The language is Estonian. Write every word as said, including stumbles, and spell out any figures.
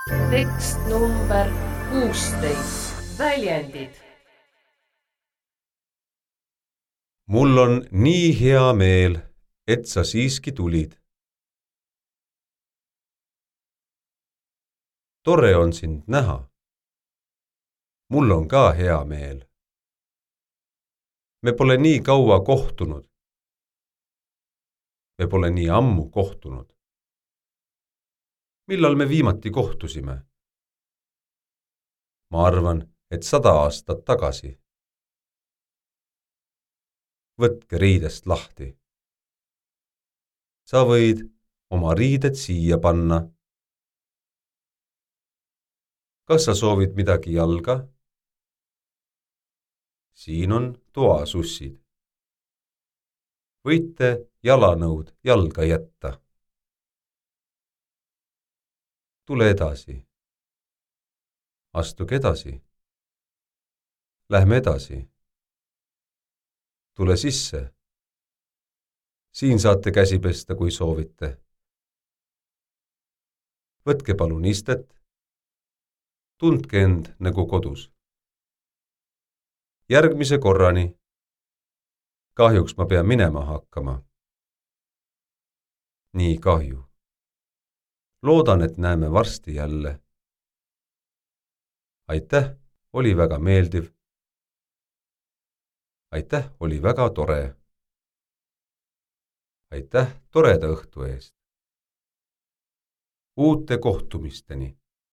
tekst number kuusteist. Väljendid. Mul on nii hea meel, et sa siiski tulid. Tore on sind näha. Mul on ka hea meel. Me pole nii kaua kohtunud. Me pole nii ammu kohtunud. Millal me viimati kohtusime? Ma arvan, et sada aastat tagasi. Võtke riidest lahti. Sa võid oma riided siia panna. Kas sa soovid midagi jalga? Siin on toasussid. Võite jalanõud jalga jätta. Tule edasi. Astuge edasi. Lähme edasi. Tule sisse. Siin saate käsi pesta, kui soovite. Võtke palun istet. Tundke end nagu kodus. Järgmise korrani. Kahjuks ma pean minema hakkama. Nii kahju. Loodan, et näeme varsti jälle. Aitäh, oli väga meeldiv. Aitäh, oli väga tore. Aitäh toreda õhtu eest. Uute kohtumisteni.